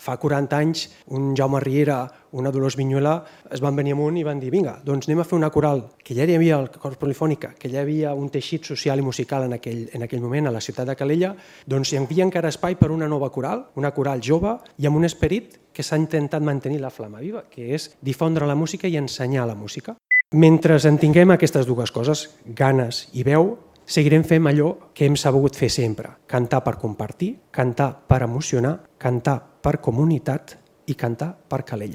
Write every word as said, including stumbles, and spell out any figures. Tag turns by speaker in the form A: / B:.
A: Fa quaranta anys, un Jaume Riera, una Dolors Vinyuela, es van venir amunt i van dir vinga, doncs anem a fer una coral, que ja hi havia el cor polifònica, que ja hi havia un teixit social i musical en aquell, en aquell moment a la ciutat de Calella, doncs hi havia encara espai per una nova coral, una coral jove i amb un esperit que s'ha intentat mantenir la flama viva, que és difondre la música i ensenyar la música. Mentre en tinguem aquestes dues coses, ganes i veu, seguirem fent allò que hem sabut fer sempre, cantar per compartir, cantar per emocionar, cantar per comunitat i cantar per Calella.